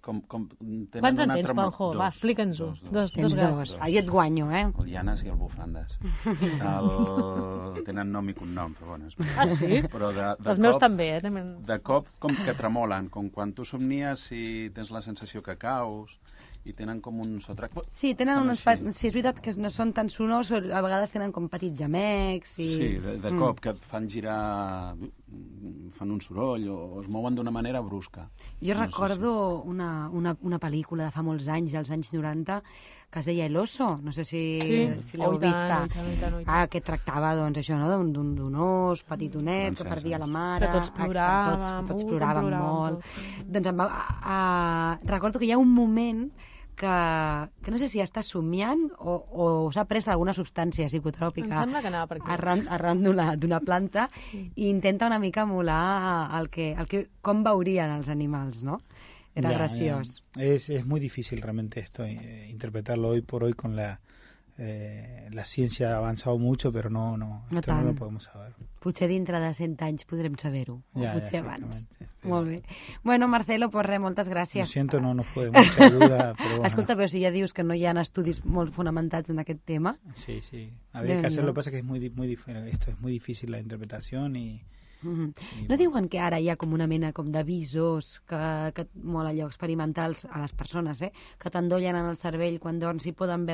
com tenen quants en tens, Juanjo? Va, explica'ns-ho. Dos gats. Ahí et guanyo, eh? El Llanes i el Bufandes. Tenen nom i cognom, però bueno, és Ah, sí? però els meus també, eh? De cop com que tremolen, com quan tu somnies i tens la sensació que caus, i tenen com un sotrac. Sí, tenen sí, és veritat que no són tan sonors, a vegades tenen com petits gemecs. Sí, de cop, que et fan girar, fan un soroll o es mouen d'una manera brusca. Jo recordo una pel·lícula de fa molts anys, dels anys 90, que es deia El oso, no sé si l'heu vista. Que tractava, doncs, això, no? d'un os petitonet que perdia la mare. Que tots ploràvem. Tots ploràvem molt. Doncs recordo que hi ha un moment que no sé si està somiant o s'ha pres alguna substància psicotròpica. Em sembla que anava per aquí. Arran d'una planta i intenta una mica emular com veurien els animals, no? Era graciós. Es muy difícil realmente esto, interpretarlo hoy por hoy con la ciència ha avançat molt, però no lo podem saber. Potser dintre de 100 anys podrem saber-ho, o potser abans. Molt bé. Bueno, Marcelo, pues res, moltes gràcies. Lo siento, no fue de mucha ayuda, pero bueno. Escolta, però si ja dius que no hi ha estudis molt fonamentats en aquest tema... Sí, habría que hacerlo, lo que passa que es muy diferente, esto es muy difícil la interpretación y... No diuen que ara hi ha com una mena com d'avisos que molt allò experimentals a les persones, que t'endollen en el cervell quan dorms i poden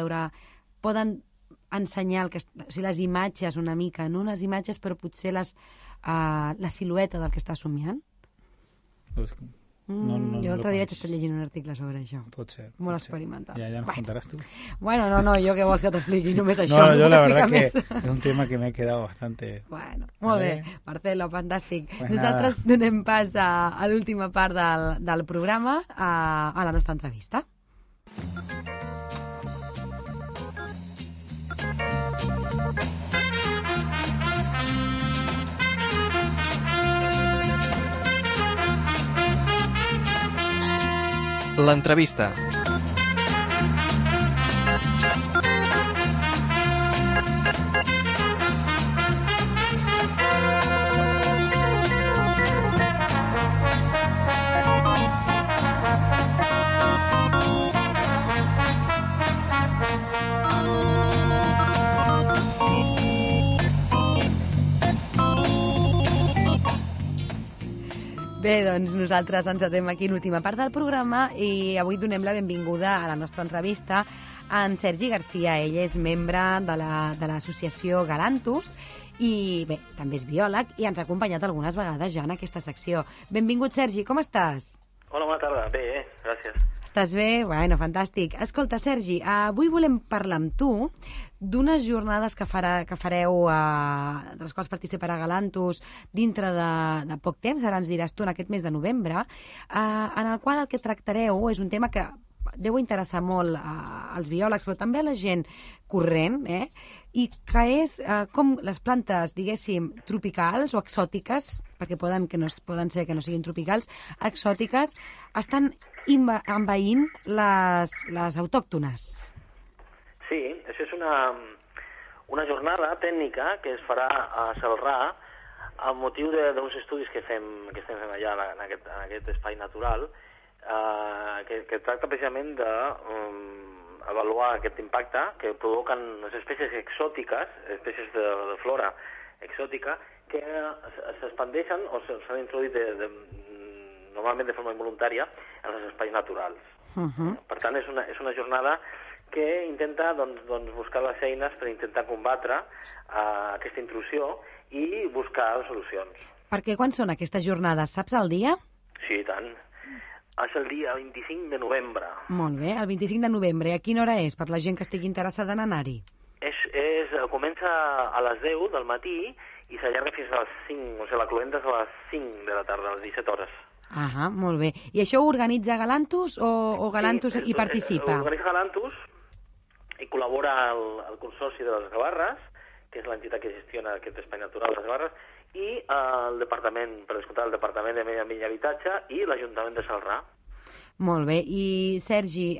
ensenyar les imatges una mica, no unes imatges però potser la silueta del que està somiant? Jo l'altre dia vaig estar llegint un article sobre això. Pot ser. Molt experimental. Ja nos contaràs tu. Bueno, no, jo què vols que t'expliqui? Només això. No, yo la verdad que es un tema que me he quedado bastante... Bueno, molt bé. Marcelo, fantàstic. Pues nosaltres donem pas a l'última part del programa, a la nostra entrevista. L'entrevista. Bé, doncs nosaltres ens atem aquí l'última part del programa i avui donem la benvinguda a la nostra entrevista a en Sergi Garcia. Ell és membre de l'associació Galantus i bé, també és biòleg i ens ha acompanyat algunes vegades ja en aquesta secció. Benvingut, Sergi, com estàs? Hola, bona tarda. Bé, gràcies. Estàs bé? Bueno, fantàstic. Escolta, Sergi, avui volem parlar amb tu d'unes jornades que fareu, de les quals participarà Galantus dintre de poc temps, ara ens diràs tu, en aquest mes de novembre, en el qual el que tractareu és un tema que deu interessar molt als biòlegs, però també a la gent corrent, i que és com les plantes, diguéssim, tropicals o exòtiques, perquè poden ser que no siguin tropicals, exòtiques, estan envaint les autòctones. Sí, això és una jornada tècnica que es farà a Celrà amb motiu d'uns estudis que estem fent allà en aquest espai natural que tracta precisament d'avaluar aquest impacte que provoquen les espècies exòtiques, espècies de flora exòtica, que s'expandeixen o s'han introduït normalment de forma involuntària en els espais naturals. Per tant, és una jornada que intenta buscar les eines per intentar combatre aquesta intrusió i buscar solucions. Perquè quan són aquestes jornades? Saps el dia? Sí, i tant. És el dia 25 de novembre. Molt bé, el 25 de novembre. I a quina hora és, per la gent que estigui interessada en anar-hi? Comença a les 10 del matí i s'allarga fins a les 5, o sigui, la cloenda és a les 5 de la tarda, a les 17 hores. Ah, molt bé. I això ho organitza Galantus o Galantus hi participa? Organitza Galantus i col·labora el Consorci de les Gavarres, que és l'entitat que gestiona aquest espai natural de les Gavarres, i el Departament, per descomptar, el Departament de Medi Ambient i Habitatge i l'Ajuntament de Celrà. Molt bé. I, Sergi,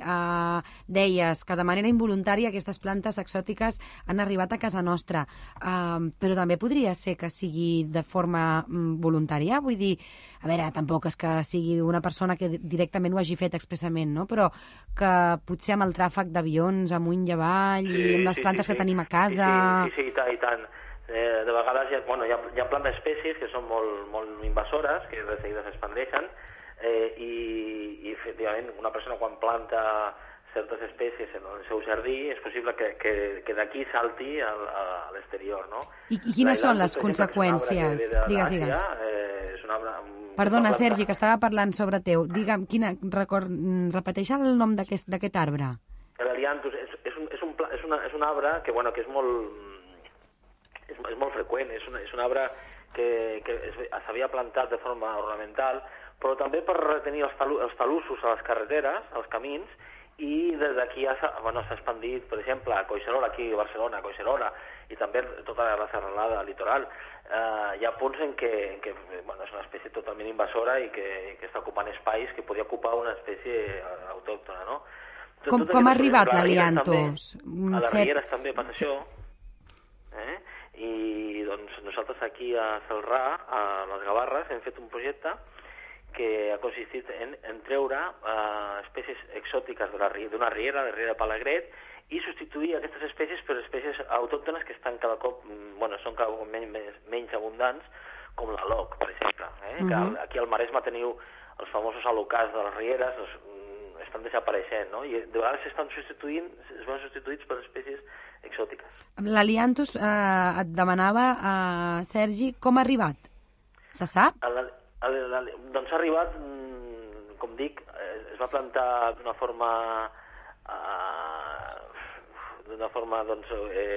deies que de manera involuntària aquestes plantes exòtiques han arribat a casa nostra, però també podria ser que sigui de forma voluntària? Vull dir, a veure, tampoc és que sigui una persona que directament ho hagi fet expressament, no? Però que potser amb el tràfic d'avions amunt i avall i amb les plantes que tenim a casa... Sí, i tant. De vegades hi ha plantes espècies que són molt invasores, que de seguida s'expandeixen, i efectivament una persona quan planta certes espècies en el seu jardí és possible que d'aquí salti a l'exterior, no? I quines són les conseqüències? Digues. És un arbre... Perdona, Sergi, que estava parlant sobre teu. Digue'm, repeteix el nom d'aquest arbre. L'Elianthus és un arbre que és molt freqüent, és un arbre que s'havia plantat de forma ornamental, però també per retenir els talussos a les carreteres, als camins, i des d'aquí s'ha expandit, per exemple, a Collserola, aquí a Barcelona, a Collserola, i també tota la serralada litoral. Hi ha punts en què és una espècie totalment invasora i que està ocupant espais que podria ocupar una espècie autòctona, no? Com ha arribat l'Aliantos? A les Rieres també passa això. I doncs nosaltres aquí a Celrà, a les Gavarres, hem fet un projecte que ha consistit en treure espècies exòtiques d'una riera, de Riera de Palagret, i substituir aquestes espècies per espècies autòctones que estan cada cop, són cada cop menys abundants, com l'aloc, per exemple. Que aquí al Maresme teniu els famosos alocars de les rieres, estan desapareixent, no? I de vegades es van substituïts per espècies exòtiques. L'Aliantos et demanava, Sergi, com ha arribat? Se sap? Doncs ha arribat, com dic, es va plantar d'una forma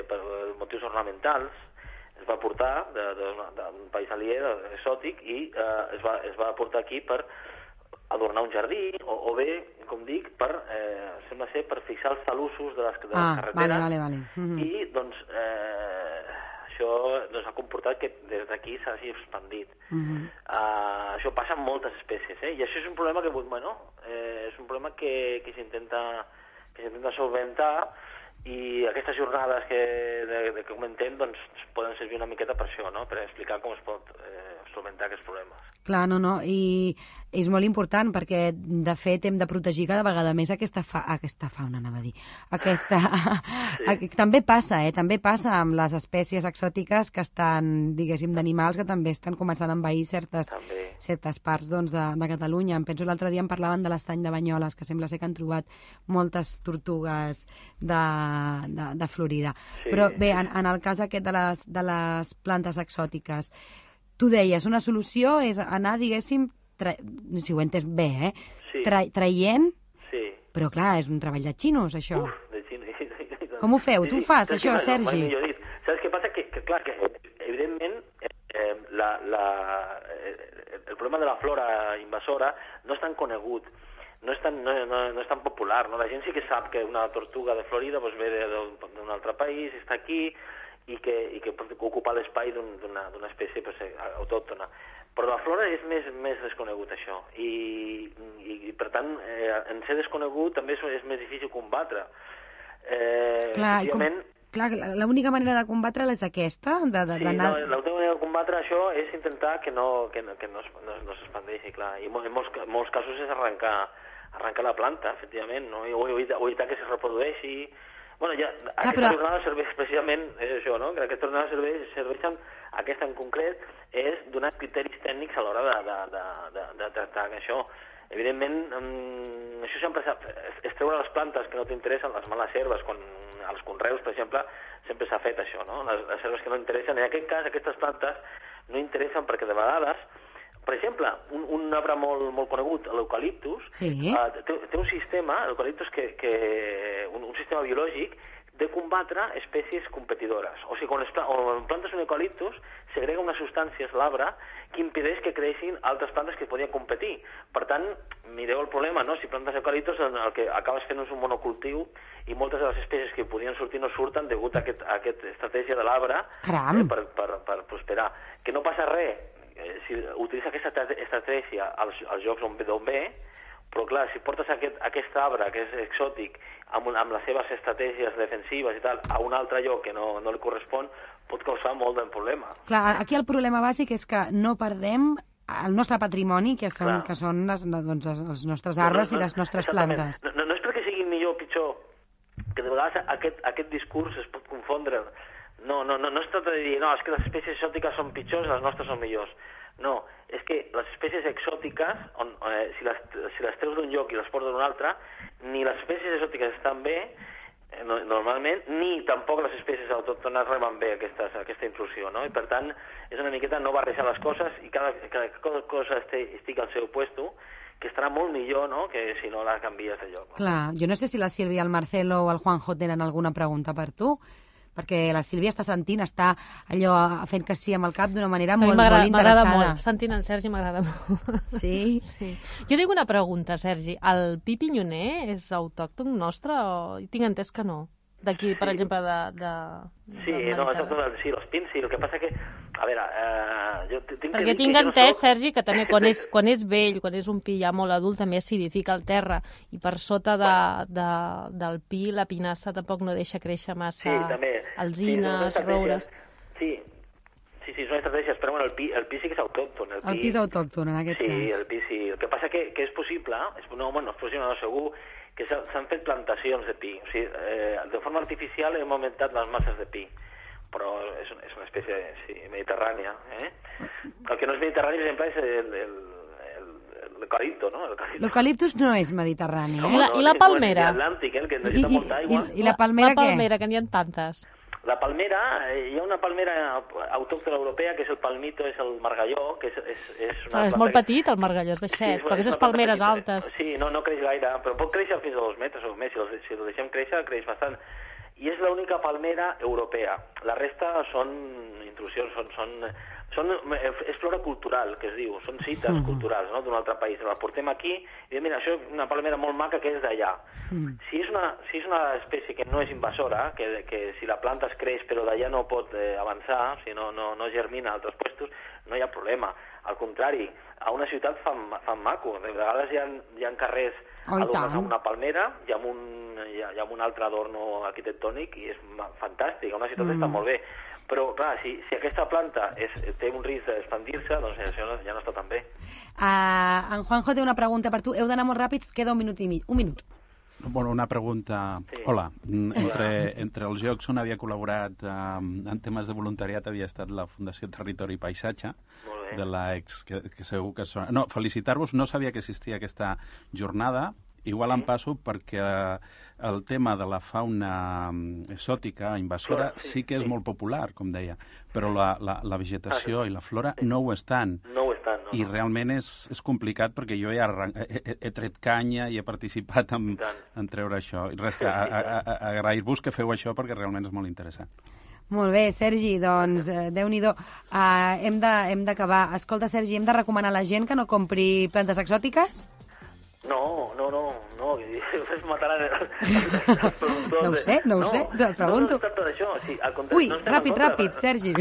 per motius ornamentals, es va portar d'un país aliè, exòtic, i es va portar aquí per adornar un jardí, o bé, com dic, sembla ser per fixar els talussos de les carreteres. Vale. I, doncs, això ha comportat que des d'aquí s'hagi expandit. Això passa amb moltes espècies, i això és un problema que s'intenta solventar, i aquestes jornades que comentem doncs, poden servir una miqueta per això, no? Per explicar com es pot solventar aquests problemes. Clar, no, i és molt important perquè, de fet, hem de protegir cada vegada més aquesta fauna, anava a dir. També passa, també passa amb les espècies exòtiques que estan, diguéssim, d'animals que també estan començant a envair certes parts de Catalunya. Em penso l'altre dia en parlaven de l'estany de Banyoles, que sembla ser que han trobat moltes tortugues de Florida. Però bé, en el cas aquest de les plantes exòtiques, tu deies, una solució és anar, diguéssim, si ho he entès bé, traient, però clar, és un treball de xinos, això. De xinos. Com ho feu? Tu ho fas, això, Sergi? Saps què passa? Que clar, que evidentment el problema de la flora invasora no és tan conegut, no és tan popular, no? La gent sí que sap que una tortuga de Florida ve d'un altre país, està aquí, i que pot ocupar l'espai d'una espècie autòctona. Però la flora és més desconegut, això. I per tant, en ser desconegut també és més difícil combatre. Clar, l'única manera de combatre és aquesta? L'única manera de combatre això és intentar que no s'expandeixi, clar. I en molts casos és arrencar la planta, efectivament, no? O evitar que se reprodueixi. Aquesta jornada serveix precisament això, no? Que aquesta jornada serveixen, aquesta en concret, és donar criteris tècnics a l'hora de tractar això. Evidentment, això sempre és treure les plantes que no t'interessen, les males herbes, als conreus, per exemple, sempre s'ha fet això, no? Les herbes que no interessen. En aquest cas, aquestes plantes no interessen perquè de vegades, per exemple, un arbre molt conegut, l'eucaliptus, té un sistema, l'eucaliptus, un sistema biològic de combatre espècies competidores. O sigui, quan plantes un eucaliptus, segrega unes substàncies l'arbre que impedeix que creixin altres plantes que podien competir. Per tant, mireu el problema, no? Si plantes eucaliptus, el que acabes fent és un monocultiu i moltes de les espècies que podien sortir no surten degut a aquesta estratègia de l'arbre per prosperar. Que no passa res si utilitza aquesta estratègia als llocs d'on ve, però clar, si portes aquest arbre que és exòtic amb les seves estratègies defensives i tal a un altre lloc que no li correspon, pot causar molt de problema. Clar, aquí el problema bàsic és que no perdem el nostre patrimoni, que són els nostres arbres i les nostres plantes. No és perquè siguin millor o pitjor, que de vegades aquest discurs es pot confondre. No es tracta de dir, és que les espècies exòtiques són pitjors i les nostres són millors. No, és que les espècies exòtiques, si les treus d'un lloc i les portes d'un altre, ni les espècies exòtiques estan bé, normalment, ni tampoc les espècies autòctones reben bé aquesta intrusió, no? I per tant, és una miqueta no barrejar les coses i cada cosa estigui al seu puesto, que estarà molt millor, no?, que si no la canvies de lloc. Clar, jo no sé si la Sílvia, el Marcelo o el Juanjo tenen alguna pregunta per tu, perquè la Sílvia està sentint, està allò fent que sí amb el cap d'una manera Sí, molt m'agrada interessada. molt. Sentint el Sergi m'agrada molt. Sí? Sí. Jo tinc una pregunta, Sergi. El pi pinyoner és autòcton nostre o tinc entès que no? D'aquí, per exemple, Sí, no, sí, los pins, sí. El que passa que, a veure, jo tinc perquè tinc entès, Sergi, que també quan és vell, quan és un pi ja molt adult, també acidifica el terra i per sota del pi la pinassa tampoc no deixa créixer massa alzines, roures... Sí, són estratègies, però bueno, el pi sí que és autòcton. El pi és autòcton, en aquest cas. Sí, el pi sí. El que passa que és possible, no, segur, que s'han fet plantacions de pi. O sigui, de forma artificial hem augmentat les masses de pi, però és una espècie mediterrània. El que no és mediterrani, per exemple, és l'eucalipto, no? L'eucaliptus no és mediterrani, I la palmera? És l'Atlàntic, que necessita molta aigua. I la palmera què? La palmera, que n'hi ha tantes. La palmera, hi ha una palmera autòctona europea, que és el palmito, és el margalló, que és una És molt petit, el margalló, és baixet, però aquestes palmeres altes... Sí, no creix gaire, però pot créixer fins a 2 metres o més. Si el deixem créixer, creix bastant. I és l'única palmera europea. La resta són intrusions, és flora cultural, que es diu, són cites culturals, no?, d'un altre país. La portem aquí i diem, mira, això és una palmera molt maca que és d'allà. Si és una espècie que no és invasora, que si la planta es creix però d'allà no pot avançar, si no germina a altres llocs, no hi ha problema. Al contrari, a una ciutat fan maco. De vegades hi ha carrers adornats amb una palmera i amb un altre adorno arquitectònic i és fantàstic. A una ciutat està molt bé. Però, clar, si aquesta planta té un risc d'expandir-se, doncs això ja no està tan bé. En Juanjo té una pregunta per tu. Heu d'anar molt ràpids, queda un minut i mig. Un minut. Bueno, una pregunta... Sí. Hola. Entre els jocs on havia col·laborat en temes de voluntariat havia estat la Fundació Territori i Paisatge, de l'ex, que segur que sona... No, felicitar-vos, no sabia que existia aquesta jornada. Igual em passo perquè el tema de la fauna exòtica, invasora, sí que és molt popular, com deia, però la vegetació i la flora no ho estan. No ho estan, no. I realment és complicat perquè jo ja he tret canya i he participat en treure això. I res, agrair-vos que feu això perquè realment és molt interessant. Molt bé, Sergi, doncs, Déu-n'hi-do. Hem d'acabar. Escolta, Sergi, hem de recomanar a la gent que no compri plantes exòtiques? No, es mataran els productors. No ho sé, te'l pregunto. No es tracta d'això. Ui, ràpid, Sergi.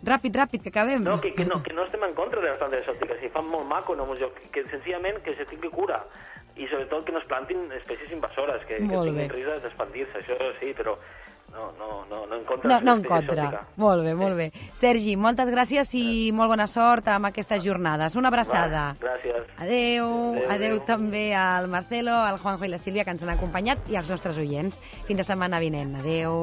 Ràpid, que acabem. No, que no estem en contra de les plantes exòtiques, si fan molt maco, no, que senzillament que se tingui cura. I sobretot que no es plantin espècies invasores, que tinguin risc d'expandir-se, això sí, però no en contra. No en contra. Molt bé. Sergi, moltes gràcies i molt bona sort amb aquestes jornades. Una abraçada. Gràcies. Adeu també al Marcelo, al Juanjo i la Sílvia, que ens han acompanyat, i als nostres oients. Fins la setmana vinent. Adeu.